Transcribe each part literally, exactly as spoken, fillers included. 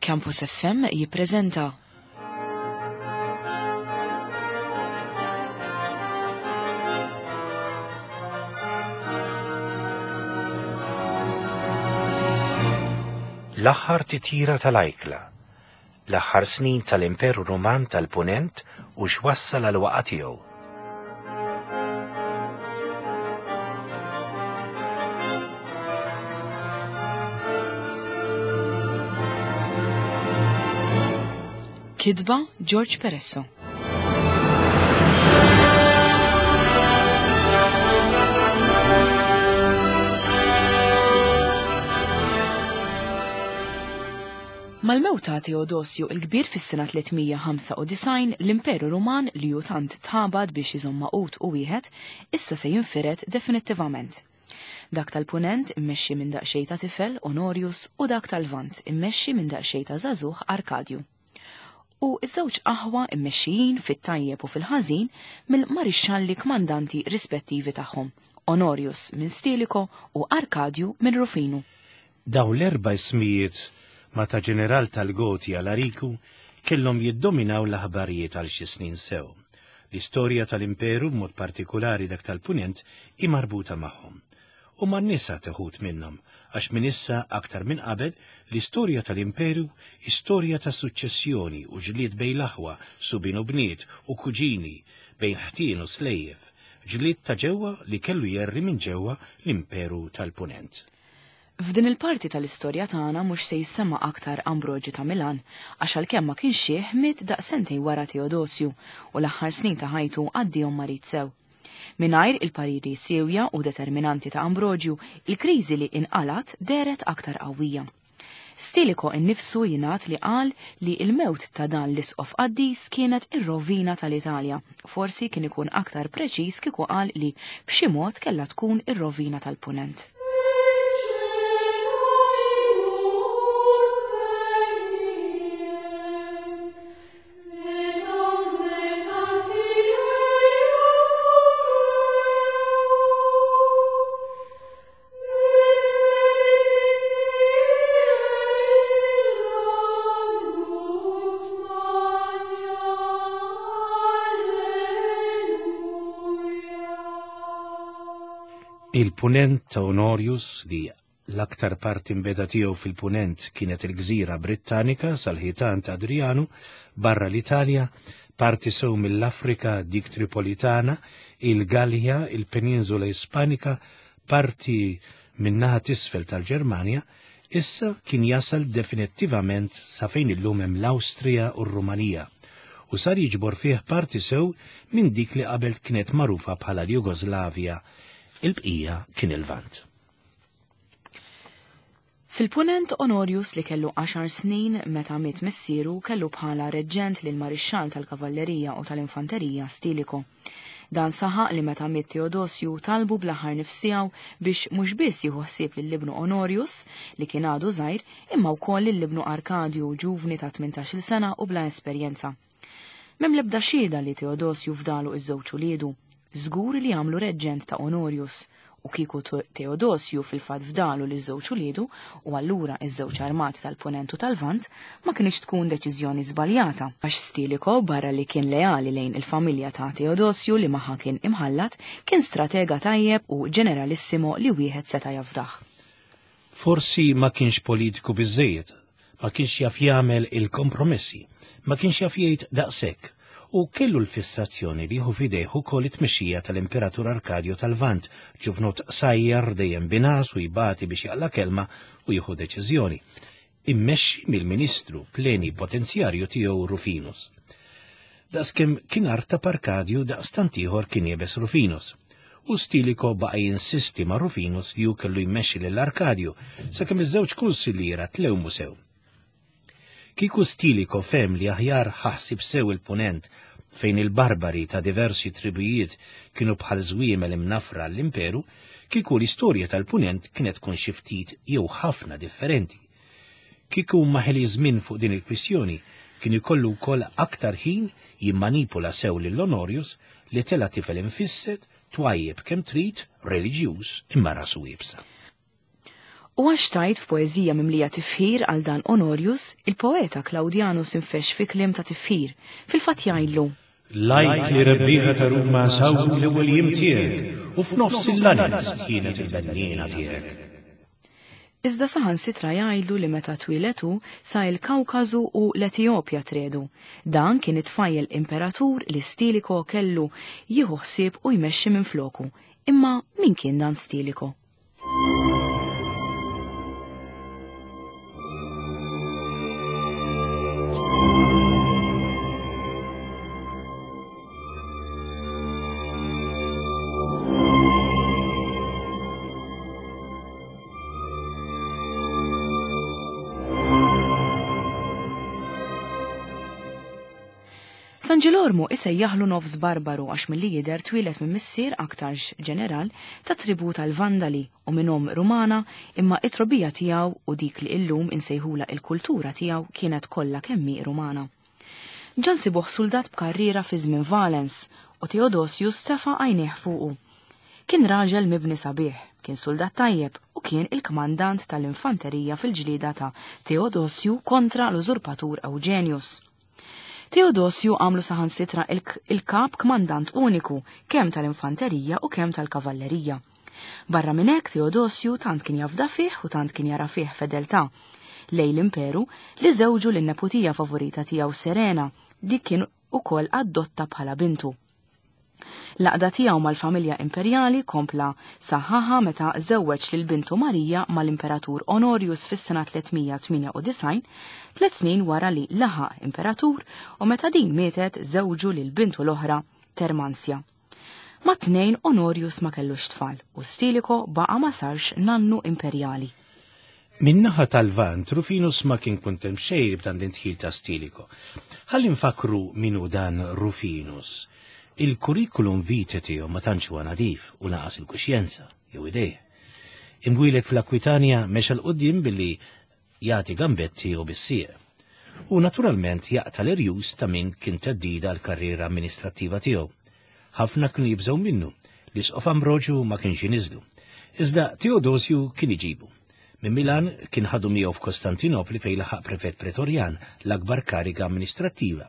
Campus F M jippreżenta L-aħħar titjira tal-ajkla, l-aħħar snin tal-Imperu Ruman tal-Punent u x'wassal għal waqgħa tiegħu. Kitba George Peresso. Mal-mewta Teodosju il-Kbir fis-sena tliet mija ħamsa u disgħin, l-Imperu Ruman li hu tant tħabad biex iżomm maqut u wieħed, issa se jinfired definittivament. Dak tal-Punent immexxi minn daqsxejn ta' tifel Honorius u dak tal-Lvant immexxi minn daqsxejn ta' żagħżugħ Arkadju. U ż-żewġ aħwa immexxijin fit-tajjeb u fil-ħażin mill-marixxalli kmandanti rispettivi tagħhom, Honorius minn Stilicho u Arkadju minn Rufinu. Daw l-erba' ismijiet ma ta' ġeneral tal-Goti Alariku kellhom jiddominaw l-aħbarijiet għal xi snin sew. L-istorja tal-Imperu b'mod partikolari dak tal-Punent hi marbuta magħhom. U man-nisa teħud minnhom, għax minn issa aktar minn qabel l-istorja tal-Imperu hi storja ta' suċċessjoni u ġlied bejn l-aħwa, subien u bniet u kuġini, bejn ħtien u slejjef, ġlied ta' ġewwa li kellu jerri minn ġewwa l-Imperu tal-Punent. F'din il-parti tal-istorja tagħna mhux se jissemma aktar Ambroġju ta' Milan, għax għalkemm ma kienx xih miet daqsentejn wara Teodosju u l-aħħar snin ta' ħajtu għaddihom marid sew. Mingħajr il-pariri sewja u determinanti ta' Ambroġju, il-kriżi li inqalat dehret aktar qawwija. Stilicho innifsu jingħad li qal li l-mewt ta' dan l-isqof qaddis kienet ir-rovina tal-Italja. Forsi kien ikun aktar preċiż kieku qal li b'xi mod kellha tkun ir-rovina tal-Punent. Il-Punent ta' Honorius, li l-aktar parti mbeda tiegħu fil-Punent kienet il-Gżira Brittanika sal-ħitan ta' Adrianu, barra l-Italja, parti sew mill-Afrika dik Tripolitana, il-Gallja, il-Peninsula Ispanika, parti min-naħa t'isfel tal-Ġermanja, issa kien jasal definittivament sa fejn illum hemm l-Awstrija u r-Rumanija, u sar jiġbor fih parti sew minn dik li qabel kienet magħrufa bħala l-Jugoslavja. Il-bqija kien il-Lvant. Fil-Punent Honorius li kellu għaxar snin meta miet missieru kellu bħala reġġent lil marixxall tal-Kavallerija u tal-Infanterija Stilicho. Dan saħaq li meta miet Teodosju talbu bl-aħħar nifs tiegħu biex mhux biss jieħu ħsieb lil ibnu Honorius li kien għadu żgħir imma wkoll lil ibnu Arkadju ġuvni ta' tmintax-il sena u bla esperjenza. M'hemm l-ebda xhieda li Teodosju fdalu iż-żewġ uliedu. Żgur li għamlu reġġent ta' Honorius u kieku Teodosju fil-fatt fdalu li żewġ uliedu u allura iż-żewġ armati tal-Punent u tal-Lvant ma kienx tkun deċiżjoni żbaljata għax Stilicho barra li kien leali lejn il-familja ta' Teodosju li magħha kien imħallat kien stratega tajjeb u ġeneralissimo li wieħed seta' jafdah. Forsi ma kienx politiku biżżejjed, ma kienx jaf jagħmel il-kompromessi, ma kienx jaf jgħid daqshekk. U kellu l-fissazzjoni li jieħu f'idejh ukoll it-tmexxija tal-Imperatur Arkadju tal-Lvant, ġuvnot sajjar dejjem binas u jbati biex jaqla kelma u jieħu deċiżjoni. Immexxi mill-Ministru plenipotenzjarju tiegħu Rufinus. Daqskemm kien artab Arkadju daqstant ieħor kien jebes Rufinus. U Stilicho baqa' jinsisti ma' Rufinus li hu kellu jmexxi lil Arkadju sakemm iż-żewġ kunsilliera tlewmu sew. Kieku Stilicho fhem li aħjar ħaħsib sew il-Punent fejn il-barbari ta' diversi tribujiet kienu bħal żwiemel imnafra l-imperu, kieku l-istorja tal-Punent kienet tkun xi ftit jew ħafna differenti. Kieku ma ħeli żmien fuq din il-kwistjoni, kien ikollu wkoll aktar ħin jimmanipula sew lil Honorius li tela tifel infisset, twajjeb kemm trid, reliġjuż imma rasu iebsa. U għax tajt f'poeżija mimlija tifħir għal dan Honorius, il-poeta Claudianus infex fi kliem ta' tifħir, fil-fatt jgħidlu: Lajk li rebbieħa ta' Ruma sawru l-ewwel jiem tiegħek u f'nofs il-lanez kienet il-benniena tiegħek. Iżda saħansitra jgħidlu li meta twieletu sa il-Kawkażu u l-Etjopja tredu. Dan kien it-tfajjel imperatur li Stilicho kellu jieħu ħsieb u jmexxi minn floku. Imma min kien dan Stilicho? San Ġilormu isejjaħlu nofs barbaru għax milli jidher twieled minn missier aktarx ġeneral ta' tribu tal-Vandali u minn omm Rumana, imma it-trobija tiegħu u dik li illum insejħula il-kultura tiegħu kienet kollha kemmi Rumana. Ġan sibuh soldat b'karriera fi żmien Valens u Theodosius tefa' għajnejh fuqu. Kien raġel mibni sabiħ, kien soldat tajjeb u kien il-kmandant tal-infanterija fil-ġlieda ta' Theodosiu kontra l-użurpatur Eugenius. Theodosiu għamlu saħansitra il-kap kmandant uniku kemm tal-infanterija u kemm tal-kavallerija. Barra minn hekk Theodosiu tant kien jafda fih u tant kien jara fih fedeltà lejn l-imperu li żewġu lin-neputija favorita tiegħu Serena li kien ukoll adotta bħala bintu. L-għaqda tiegħu mal-familja imperjali kompla saħħaħa meta żewweġ lil bintu Marija mal-Imperatur Honorius fis-sena tliet mija tmienja u disgħin, tliet snin wara li laħaq imperatur, u meta din mietet żewġu lil bintu l-oħra Termansja. Ma' tnejn Honorius ma kellux tfal u Stilicho baqa' ma sarx nannu imperjali. Min-naħa tal-Lvant, Rufinus ma kien kuntent xejn b'dan l-intħil ta' Stilicho. Ħalli nfakru min hu dan Rufinus. Il-kurrikulum vitae tiegħu ma tantx huwa nadif u naqas il-kuxjenza jew idejh. Imwieled fl-Akwitanja mexa 'l quddiem billi jagħti gambetti u bis-sieq. U naturalment jaqta' l-irjus ta' min kien theddida l-karriera amministrattiva tiegħu. Ħafna kienu jibżgħu minnu, l-isqof Ambroġu ma kienx iniżlu. Iżda Theodosiu kien iġibu. Minn Milan kien ħadu miegħu f'Kostantinopli fejn laħaq prefett pretorjan, l-akbar kariga amministrattiva.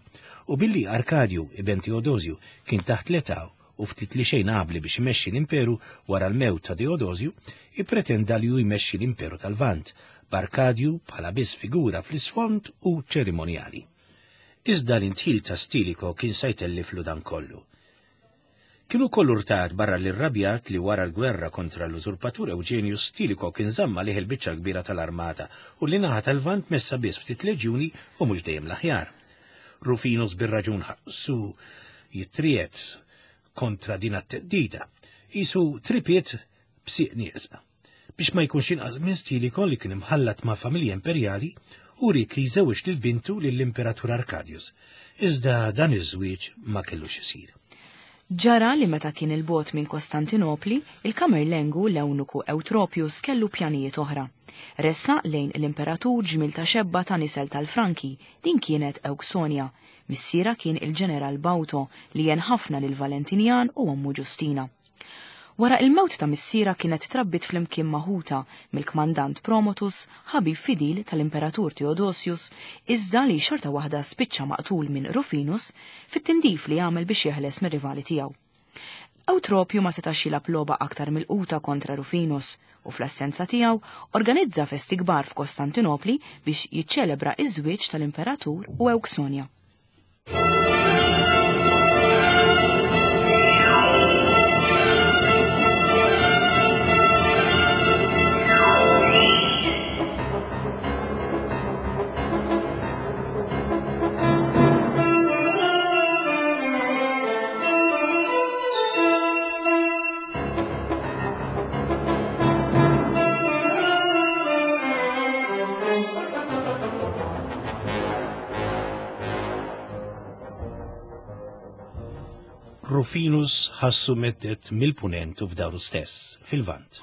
U billi Arkadju, iben Theodosiu, kien taħt l-età u ftit li xejn abli biex imexxi l-imperu wara l-mewt ta' Theodosiu, ippretenda li hu jmexxi l-imperu tal-Lvant, b'Arkadju bħala biss figura fl-isfond u ċerimonjali. Iżda l-intħil ta' Stilicho kien se jtelliflu dan kollu. Kienu kollu rtad barra l-irrabjat li wara l-gwerra kontra l-użurpatur Eugenius Stilicho kien żamma liħ il-biċċa kbira tal-armata u li naħa tal-Lvant messa biss ftit leġjuni u mhux dejjem l-aħjar. Rufinus bir-raġun ħassu jitriet kontra din it-teddida, isu tripiet b'sieq nieqsa. Biex ma jkunx inqas minn Stilicho li kien imħallat ma' familja imperjali u ried li jżewweġ lil bintu lill-Imperatur Arkadius. Iżda dan iż-żwieġ ma kellux isir. Ġara li meta kien il-bot minn Kostantinopli, il-Kamerlengu l-ewnuku Eutropius kellu pjanijiet oħra. Ressa lejn l-imperatur ġmil ta' xebba ta' nisel tal-Franki, din kienet Ewksonia. Missiera kien il-ġeneral Bauto li jen ħafna lil Valentinjan u ommu Ġustina. Wara il-mewt ta' missiera kienet trabbit flimkien maħuta mill-kmandant Promotus, ħabib fidil tal-imperatur Theodosius, iżda li xorta waħda spiċċa maqtul minn Rufinus fit-tindif li għamel biex jeħles mir-rivali tiegħu. Eutropju ma setax jilgħab logħba aktar mill-quta kontra Rufinus u fl-assenza tiegħu organizza festi kbar f'Kostantinopli biex jiċċelebra iż-żwieġ tal-imperatur u Ewksonia. Rufinus ħassu meddet mill-punent u f'daru stess, fil-Lvant.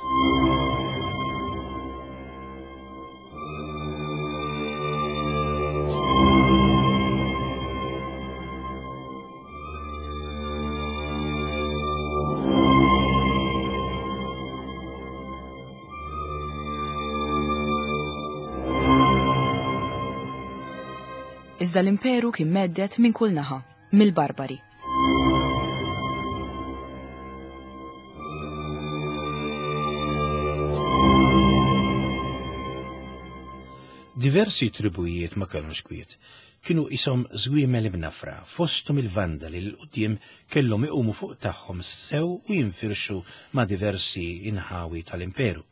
Iżda l-imperu kien mhedded minn kull naħa, mill-barbari. Diversi tribujiet ma kellhomx kwiet. Kienu isom żwiemel imnafra, fosthom il-Vandali li l-qudiem kellhom iqumu fuq tagħhom sew u jinfirxu ma' diversi inħawi tal-imperu.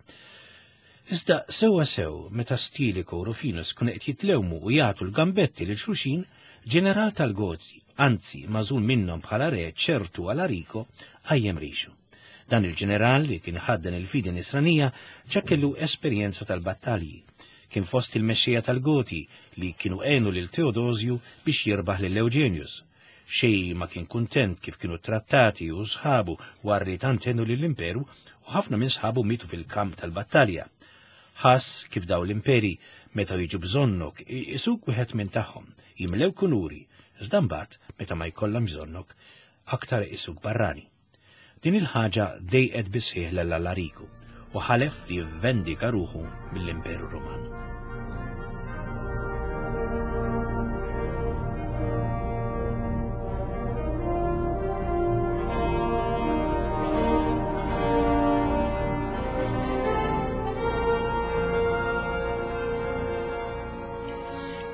Iżda sewwa sew meta Stilicho u Rufinus kienu qed jitlewmu u jagħtu l-gambetti lil xulxin, ġeneral tal-Goti, anzi magħżul minnhom bħala re ċertu Alarico, qajjem rixu. Dan il-ġeneral li kien ħaddan il-fidi nisranija ġa kellu esperjenza tal-battalji. Kien fost il-mexxejja tal-Goti li kienu għenu lil Teodosju biex jirbaħ lil Eugenius. Xej ma kien kuntent kif kienu trattati u sħabu wara li tant għenu lill-imperu u ħafna minn sħabu mietu fil-kamp tal-battalja. Ħass kif daw l-imperi meta jiġu bżonnok isuk wieħed minn tagħhom, jimlew kunuri, iżda mbagħad meta ma jkollhom bżonnok aktar isuk barrani. Din il-ħaġa dejqet bisħieħ lil Alariku u ħalef li jivvendika ruħu mill-Imperu Ruman.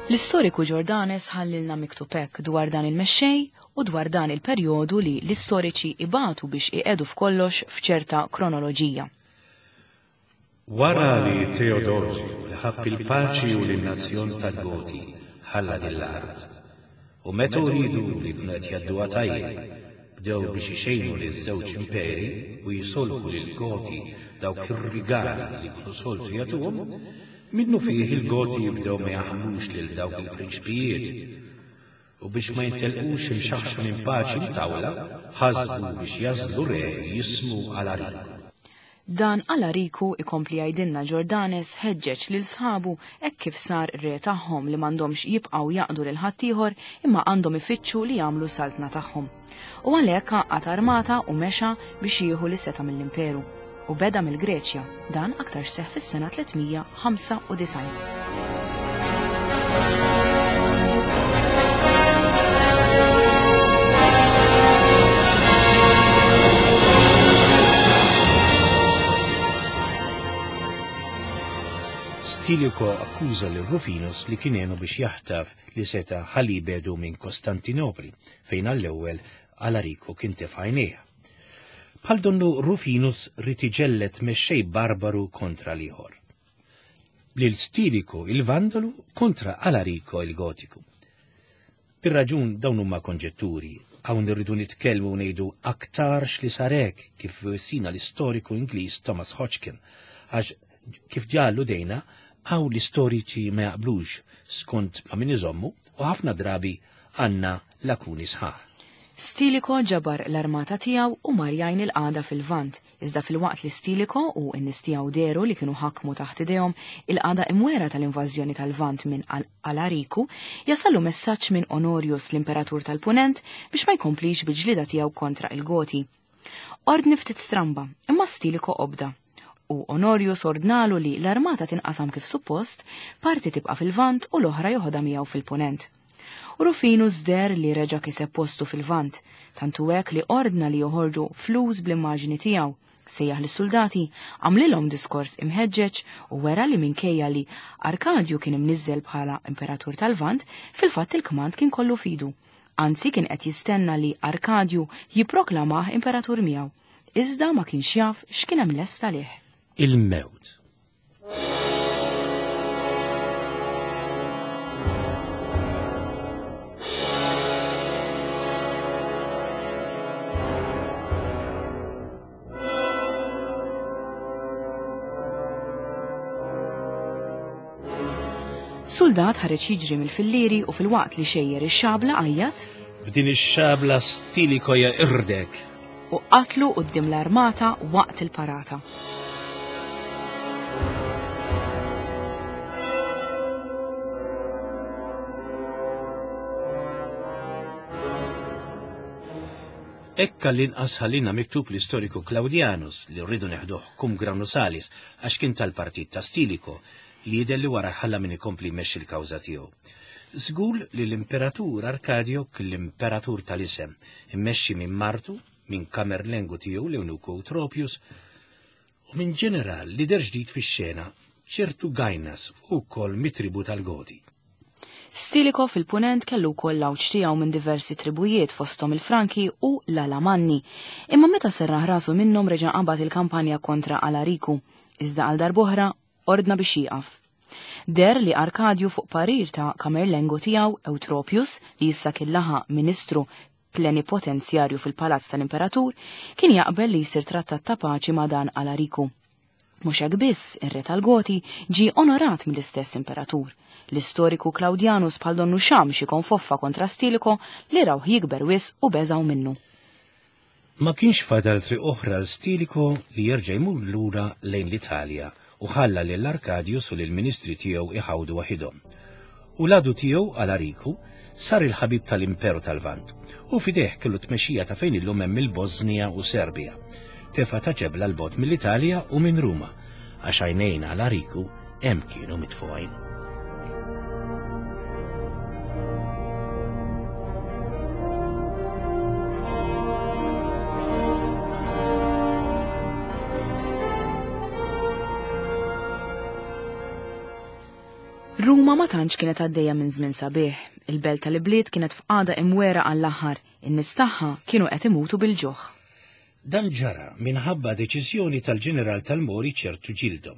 L-istoriku Jordanes ħallilna miktub hekk dwar dan il-mexxej u dwar dan il-perjodu li l-istoriċi ibatu biex iqedu f'kollox f'ċerta kronoloġija. Wara li Teodosju li ħabb il-paċi u l-nazzjon tal-Goti ħalla din l-art, u meta uridu li kienu qed jgħadduha tajjeb, bdew biex ixejnu liż-żewġ imperi u jisolħu lill-Goti dawk ir-rigali li kienu soltu jagħtuhom, minnu fih il-Goti jibdew ma jaħmlux lil dawk il-prinċpijiet u biex ma jintelqux imxaħxa minn paċi mtawla, ħasbu biex jażlu re jismu Alariku. Dan Alariku ikompli jgħidilna Jordanes ħeġġeġ lil sħabu hekk kif sar re tagħhom li m'għandhomx jibqgħu jaqdu lil ħaddieħor imma għandhom ifittxu li jagħmlu saltna tagħhom. U għalhekk għaqqad armata u mexa biex jieħu l-seta mill-imperu. U beda mill-Greċja, dan aktar seħħ fis-sena tliet mija ħamsa u disgħin. Stilicho akkuża lil Rufinus li kien għenu biex jaħtaf li seta ħalli jbedu minn Kostantinopli, fejn għall-ewwel Alarico kien tefa' għajnejha. Bħal donnu Rufinus rid iġellet mexxej barbaru kontra l-ieħor. Lil Stilicho il-Vandalu kontra Alarico il-Gotiku. Bir-raġun dawn huma konġetturi, hawn irridu nitkellmu u ngħidu aktarx li sarek kif sina l-istoriku Ingliż Thomas Hodgkin, għax kif ġallu dejna hawn l-istoriċi ma jaqblux skont ma min iżommu u ħafna drabi għandna lakuni sħaħ. Stilicho ġabar l-armata tiegħu u mar jgħin il-qagħda fil-Lvant, iżda fil-waqt li Stilicho u n-nies tiegħu deru li kienu ħakmu taħt idejhom il-qagħda imwera tal-invażjoni tal-Lvant minn Alariku, jasallu messaġġ minn Honorius l-Imperatur tal-Punent biex ma jkomplix bil-ġlieda tiegħu kontra il-Goti. Ordni ftit stramba, imma Stilicho obda. U Honorius ordnalu li l-armata tinqasam kif suppost, parti tibqa' fil-Lvant u l-oħra joħodha miegħu fil-Punent. U Rufinus der li reġa' kiseb postu fil-Lvant, tantu hekk li ordna li joħorġu flus bl-immaġni tiegħu, sejjaħ lis-soldati, għamlilhom diskors imħeġġeġ u wera li minkejja li Arkadju kien imniżżel bħala imperatur tal-Lvant, fil-fatt il-kmand kien kollu fidu. Anzi kien qed jistenna li Arkadju jipproklamah imperatur miegħu, iżda ma kienx jaf x'kien hemm lest għalih. Il-mewt. Soldat ħareġ jiġri mill-fillieri u fil-waqt li xejjer ix-xabla għajjat, B'din ix-xabla Stilicho irdek, u qatlu quddiem l-armata waqt il-parata. Ekka l-inqas ħallina miktub l-istoriku Claudianus li rridu neħduh cum grano salis għax kien tal-partit ta' Stilicho li jidher li wara ħalla min ikompli jmexxi l-kawża tiegħu. Żgur li l-Imperatur Arkadio kien l-Imperatur tal-isem, immexxi minn martu, minn kamerlengu tiegħu l-Eunuku Eutropius, u minn ġeneral li deher ġdid fix-xena, ċertu Gainas, ukoll mit-tribu tal-Goti. Stilicho fil-punent kellu wkoll l-għawġ tiegħu minn diversi tribujiet fosthom il-Franki u l-Alamanni. Imma meta serraħ rasu minnhom reġa' qabad il-kampanja kontra Alariku, iżda għal darb'oħra ordna biex jieqaf. Der li Arkadju fuq parir ta' kamerlengu tiegħu Eutropius, li issa kien laħaq ministru plenipotenzjarju fil-palazz tal-Imperatur, kien jaqbel li jsir trattat ta' paċi ma' dan Alariku. Mhux hekk biss, ir-re tal-Goti ġie onorat mill-istess imperatur. L-istoriku Claudianus bħal donnu xam xi konfoffa kontra Stilicho li rawh jikber wisq u beżgħu minnu. Ma kienx fadal triq oħra l Stilicho li jerġa' jmur lura lejn l-Italja u ħalla lil Arkadius u lill-ministri tiegħu iħawdu waħidhom. U l-għadu tiegħu Alariku sar il-ħabib tal-Imperu tal-Lvant u fideh kellu tmexxija ta' fejn illum hemm il-Bosnija u Serbja. Tefa' ta' ġebla l-bot mill-Italja u minn Ruma, għax għajnejn Alariku hemm kienu mitfugħin. Ruma ma tantx kienet għaddejja minn żmien sabiħ. Il-belt tal-ibliet kienet f'qagħda imwera għall-aħħar, in-nies tagħha kienu qed imutu bil-ġuħ. Dan ġara minħabba deċiżjoni tal-ġeneral tal-Mori ċertu Ġildo.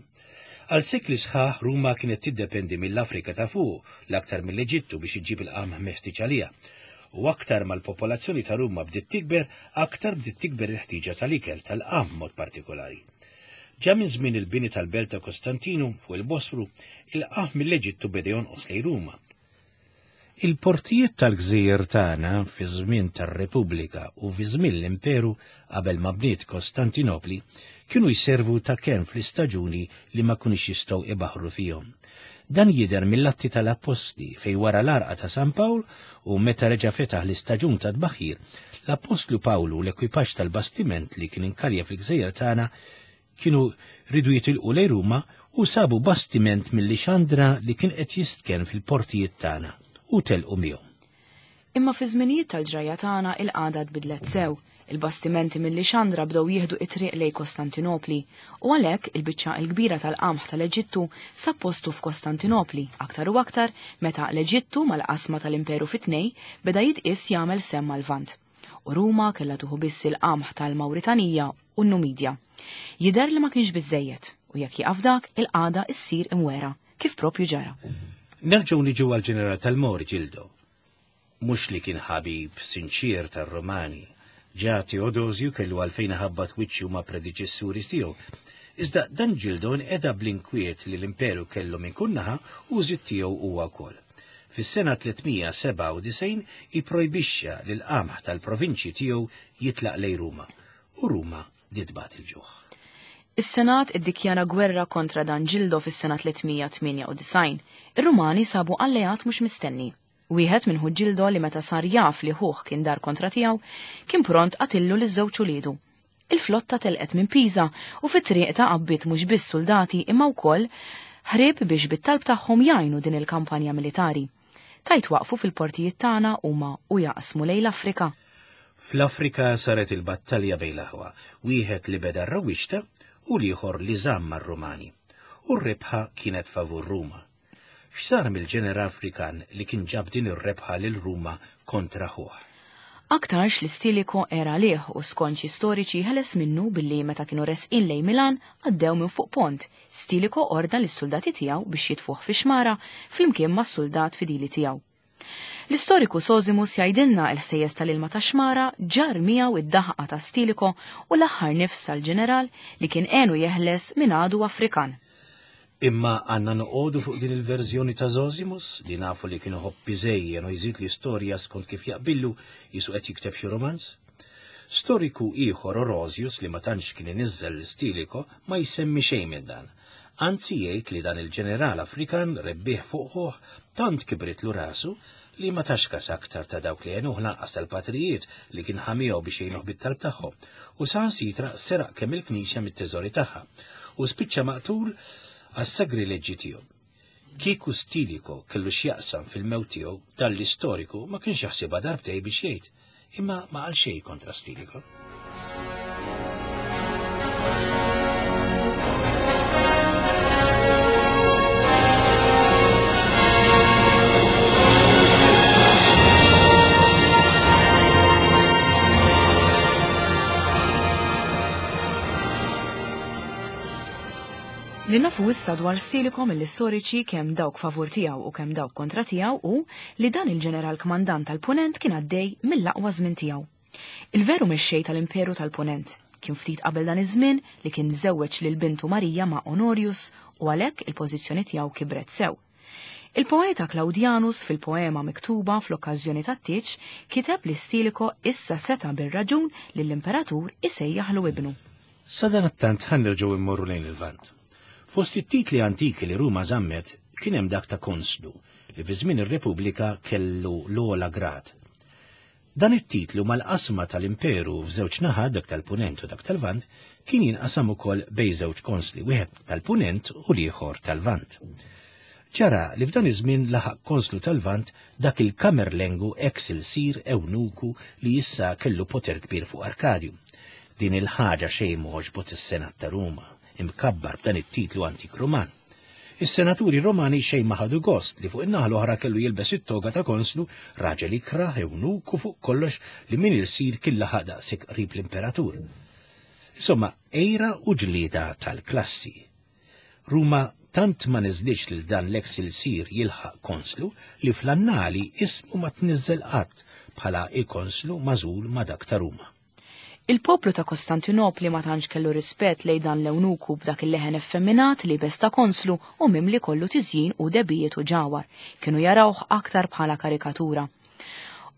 Għal sekli sħaħ Ruma kienet tiddependi mill-Afrika ta' fuq, l-aktar mill-Eġittu biex iġġib il-qamħ meħtieġ għaliha. U aktar mal-popolazzjoni ta' Ruma bdiet tikber, aktar bdiet tikber il-ħtieġa tal-ikel tal-qamħ mod partikolari. Ġa minn żmien il-bini tal-belt ta' Kostantinu fuq il-Bosfru, il-qamħ mill-Eġittu beda jonqos lejn Ruma. Il-portijiet tal-gżejjer tagħna fi żmien tar-Repubblika u fi żmien l-Imperu qabel ma bniet Kostantinopli kienu jservu ta' kenn fl-istaġuni li ma kunux jistgħu ibaħru fihom. Dan jidher mill-Atti tal-Appostli fejn wara l-arqa ta' San Pawl u meta reġa' fetaħ l-istaġun ta' tbaħħir, l-Appostlu Pawlu u l-ekwipaġġ tal-bastiment li kien inkalja fil-gżejjer tagħna kienu ridu jitilqu lejn Ruma u sabu bastiment mill-Lixandra li kien qed jistken fil-portijiet tagħna u telqu miegħu. Imma fi żminijiet tal-ġrajja tagħna il-qagħda tbidlet sew. Il-bastimenti mill-Lixandra bdew jieħdu it-triq lejn Kostantinopli u għalhekk il-biċċa l-kbira tal-qamħ tal-Eġittu sab postu f'Kostantinopli aktar u aktar meta l-Eġittu mal-qasma tal-Imperu fit-tnej beda jitqies jagħmel semm mal-Lvant. U Ruma kellha tuħu biss il-qamħ tal-Mawritanija u n-Numidja. Jidher li ma kienx biżejjed u jekk jieqaf dak il-qagħda ssir imwera kif propju ġara. Nerġgħu niġu għall-ġeneral tal-Mori Ġildo. Mhux li kien ħabib sinċir tar-Romani. Ġa Teodosju kellu għalfejn ħabbat wiċċu ma' predeċessuri tiegħu. Iżda dan Ġildo nqeda bl-inkwiet li l-Imperu kellu minn kull naħa u żid tiegħu huwa wkoll. Fis-sena tlietmija sebgħa u disgħin ipprojbixxa li l-qamħ tal-provinċji tiegħu jitlaq lejn Ruma u Ruma ditbat il-ġuħ. Is-Senat iddikjara gwerra kontra dan Ġildo fis-sena tlietmija tmienja u disgħin. Ir-Rumani sabu alleat mhux mistenni. Wieħed minn ħu Ġildo li meta sar jaf li ħuh kien dar kontra tiegħu, kien pront qatillu liż-żewġ uliedu. Il-flotta telqet minn Pisa u fit-triq ta' qabbiet mhux biss soldati imma wkoll ħrieb biex bit-talb tagħhom jgħinu din il-kampanja militari. Tajt waqfu fil-portijiet tagħna huma u jaqsmu lejn l-Afrika. Fl-Afrika saret il-battalja bejn l-aħwa, wieħed li beda r-rawwixta u l-ieħor li żamm mar-Rumani. U r-rebħa kienet favur Ruma. X'sar mill-ġeneral Afrikan li kien ġab din ir-rebħa lil Ruma kontra ħuh? Aktarx li Stilicho era għalih u skont xi storiċi ħeles minnu billi meta kienu resqin lejn Milan għaddew minn fuq pont. Stilicho ordna lis-soldati tiegħu biex jitfuh fi xmara flimkien mas-soldat fidili tiegħu. L-istoriku Sosimus jgħidilna l-ħsejjes tal-ilma ta' xmara ġar miegħu id-daħqa ta' Stilicho u l-aħħar nifs tal-ġeneral li kien għenu jeħles minn għadu Afrikan. Imma għandna noqogħdu fuq din il-verżjoni ta' Zosimus li nafu li kienu ħobb iżejjen u jżid l-istorja skont kif jaqbillu jisu qed jikteb xi romanz? Storiku ieħor Orosius li ma tantx kien iniżżel l-Stilicho ma jsemmi xejn minn dan. Anzi jgħid li dan il-ġeneral Afrikan rebbieħ fuq ħuh tant kibritlu rasu li ma tax kas aktar ta' dawk li għenuh lanqas tal-patrijiet li kien ħamiehu biex jgħinuh bit-talb tagħhom u saħansitra seraq kemm il-knisja mit-teżori tagħha u spiċċa maqtul għas-sagrileġġi tiegħu. Kieku Stilicho kellu x'jaqsam fil-mewt tiegħu, dan l-istoriku ma kienx jaħsibha darbtej biex jgħid, imma ma qal xejn kontra Stilicho. Li nafu issa dwar Stilicho mill-istoriċi kemm dawk favur tiegħu u kemm dawk kontra tiegħu u li dan il-ġeneral kmandant tal-Punent kien għaddej mill-aqwa żmien tiegħu. Il-veru mexxej tal-Imperu tal-Punent kien ftit qabel dan iż-żmien li kien żewweġ lil bintu Marija ma' Honorius u għalhekk il-pożizzjoni tiegħu kibret sew. Il-poeta Claudianus fil-poema miktuba fl-okkażjoni tat-tieġ kiteb li Stilicho issa seta' bir-raġun lill-imperatur isejjaħlu ibnu. Sadanittant ħa nerġgħu immorru lejn il-Lvant. Fost it-titli antiki li Ruma żammet kien hemm dak ta' konslu li fi żmien ir-Repubblika kellu l-ogħla grad. Dan it-titlu mal-qasma tal-Imperu f'żewġ naħat, dak tal-Punent u dak tal-Lvant, kien jinqasam ukoll bejn żewġ konsli, wieħed tal-Punent u l-ieħor tal-Lvant. Ġara li f'dan iż-żmien laħaq konslu tal-Lvant dak il-Kamerlengu ex il-sir Ewnuku li issa kellu poter kbir fuq Arkadju. Din il-ħaġa xejn m'għoġbot is-Senat ta' Ruma, imkabbar b'dan it-titlu antik Ruman. Is-senaturi Romani xejn ma ħadu gost li fuq in-naħa l-oħra kellu jilbes it-toga ta' konslu, raġel ikrah ewnuku fuq kollox li min il-sir kien laħaq daqshekk qrib l-imperatur. Insomma, ejra u ġlieda tal-klassi. Ruma tant ma niżlitx lil dan l-ex il-sir jilħaq konslu li fl-annali ismu ma tniżżel qatt bħala il-konslu magħżul ma' dak ta' Ruma. Il-poplu ta' Kostantinopli ma tantx kellu rispett lejn dan l-ewnuku b'dak il-leħen effeminat li bes ta' konslu u mimli kollu tiżjin u debijiet u ġawar. Kienu jarawh aktar bħala karikatura.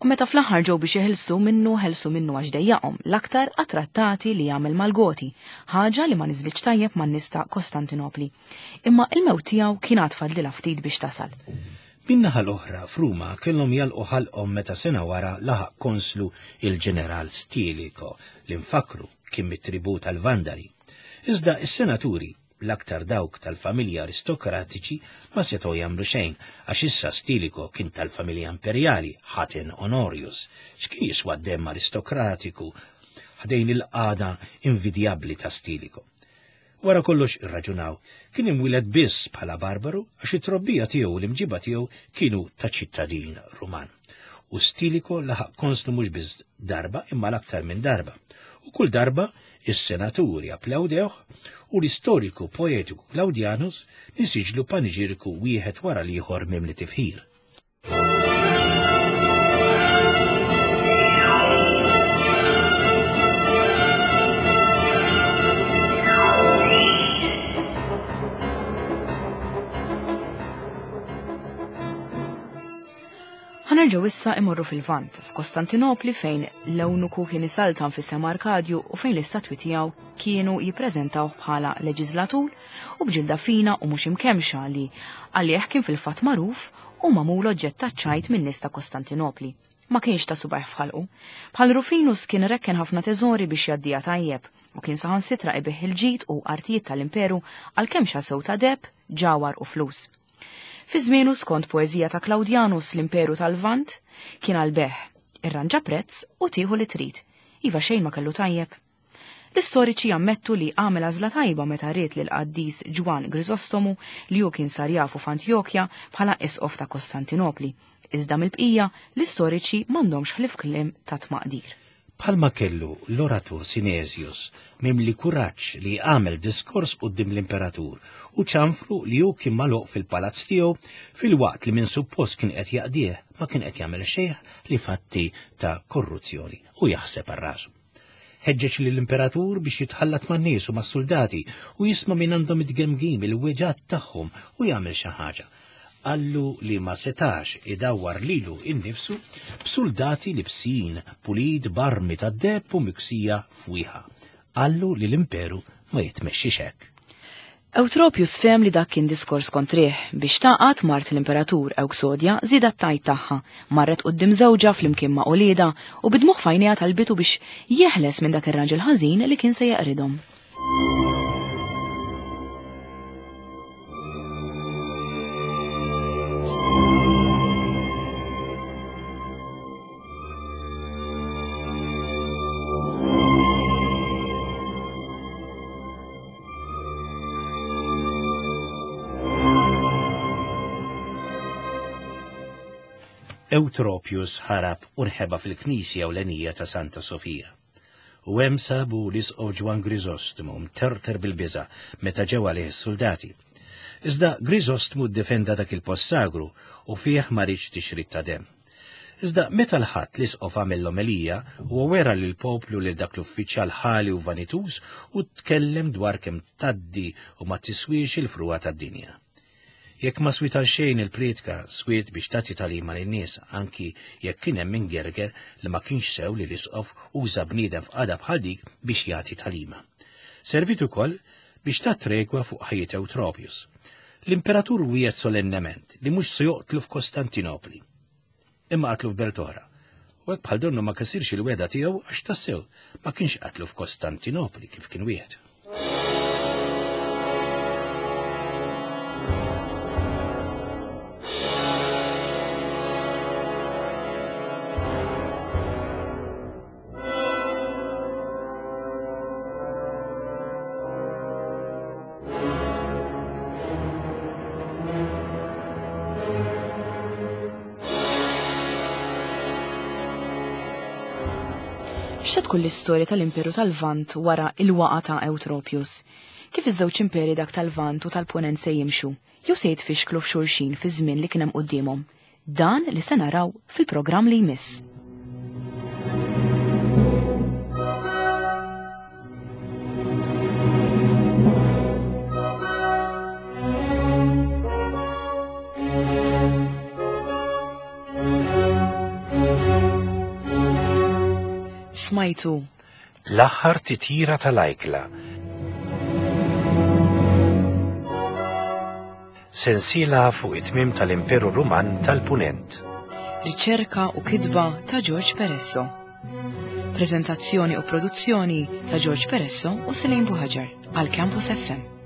U meta fl-aħħar ġew biex jeħilsu minnu, ħelsu minnu għax dejjaqhom l-aktar għat-trattati li jagħmel mal-Goti, ħaġa li ma niżlitx tajjeb man-nies ta' Kostantinopli. Imma il-mewt tiegħu kien għad fadlilha ftit biex tasal. Min-naħa l-oħra f'Ruma kellhom jalqu ħalqhom meta sena wara laħaq konslu il-ġeneral Stilicho li nfakru kien mit-tribu tal-Vandali. Iżda is-senaturi, l-aktar dawk tal-familja aristokratiċi, ma setgħu jagħmlu xejn għax issa Stilicho kien tal-familja imperjali, ħaten Honorius. X'kien jiswa d-demm aristokratiku ħdejn il-qagħda invidjabbli ta' Stilicho. Wara kollox irraġunaw, kien imwieled biss bħala barbaru għax it-trobbija tiegħu u l-imġiba tiegħu kienu ta' ċittadin Ruman. U Stilicho laħaq konslu mhux biss darba imma l-aktar minn darba. U kull darba is-senaturi applawdewh u l-istoriku poetiku Claudianus nisiġlu paniġiriku wieħed wara l-ieħor mimli tifħir. Ħa nerġgħu issa imorru fil-Lvant, f'Kostantinopli fejn l-ewnuku kien isaltan fis-sema Arkadju u fejn l-istatwi tiegħu kienu jippreżentawh bħala leġislatur u b'ġilda fina u mhux imkemxa li għalih kien fil-fatt magħruf u magħmul oġġett taċ-ċajt min-nies ta' Kostantinopli. Ma kienx ta' subajh f'ħalqu. Bħal Rufinus kien rekken ħafna teżori biex jgħaddiha tajjeb u kien saħansitra ibih il-ġid u artijiet tal-imperu għal kemxa sew ta' deheb, ġawar u flus. Fi żmienu skont poeżija ta' Claudianus l-Imperu tal-Lvant kien għal-beħ, irranġa prezz u tieħu li trid. Iva xejn ma kellu tajjeb. L-istoriċi jammettu li għamel għażla tajba meta ried lil qaddis Ġwan Grisostomu li hu kien sar jafu f'Antjokja bħala isqof ta' Kostantinopli. Iżda mill-bqija l-istoriċi m'għandhomx ħlief kliem ta' tmaqdir. Bħalma kellu l-oratur Sinesius mimli kuraġġ li għamel diskors quddiem l-imperatur u ċanfru li hu kien magħluq fil-palazz tiegħu filwaqt li minn suppost kien qed jaqdih ma kien qed jagħmel xejn li fatti ta' korruzzjoni u jaħseb għal rasu. Ħeġġeġ lill-imperatur biex jitħallat man-nies u mas-soldati u jisma' minn għandhom it-tgemgim il-weġgħat tagħhom u jagħmel xi ħaġa. Qallu li ma setax idawwar lilu innifsu b'soldati libsin pulit barmi tad-deheb u miksija fwieħa. Qallu li l-imperu ma jitmexxix hekk. Eutropius fehem li dak kien diskors kontrih biex taqgħad mart l-imperatur Ewksodja żiedet tajt tagħha, marret quddiem żewġha flimkien ma' uliedha u bidmuħ f'għajnejha talbitu biex jeħles minn dak ir-raġel ħażin li kien se jeqridhom. Eutropius ħarab u nħeba fil-knisja ewlenija ta' Santa Sofija. U hemm sabu l-isqof Ġwann Griżostmu mterter bil-biża' meta ġew għalih is-suldati. Iżda Griżostmu ddefenda dak il-post sagru u fih ma riedx tixrid ta' demm. Iżda meta l-Ħadd l-isqof għamel l-omelija, huwa wera lill-poplu lil dak l-uffiċjal ħali u vanituż u tkellem dwar kemm tgħaddi u ma tiswiex il-frugħa tad-dinja. Jekk ma swiet għal xejn il-prietka, swiet biex tagħti tagħlima lin-nies, anki jekk kien hemm min gerger li ma kienx sew li l-isqof uża bniedem f'qagħda bħal dik biex jagħti tagħlima. Servit ukoll biex tat tregwa fuq ħajjet Eutropius. L-imperatur wiegħed solennement li mhux se joqtlu f'Kostantinopli. Imma qatlu f'belt oħra. U hekk bħal donnu ma kisirx il-wegħda tiegħu għax tassew ma kienx qatlu f'Kostantinopli kif kien wieħed. X'se tkun l-istorja tal-Imperu tal-Lvant wara il-waqa ta' Eutropius? Kif iż-żewġ imperi dak tal-Lvant u tal-Punent se jimxu? Jew se jitfixklu f'xulxin fi żmien li kien hemm quddiemhom? Dan li se naraw fil-programm li jmiss. Smajtu L-aħħar titjira tal-ajkla. Sensiela fuq it-tmiem tal-Imperu Ruman tal-Punent. Riċerka u kitba ta' George Peresso. Prezentazzjoni u produzzjoni ta' George Peresso u Selene Buhaġar għal Campus F M.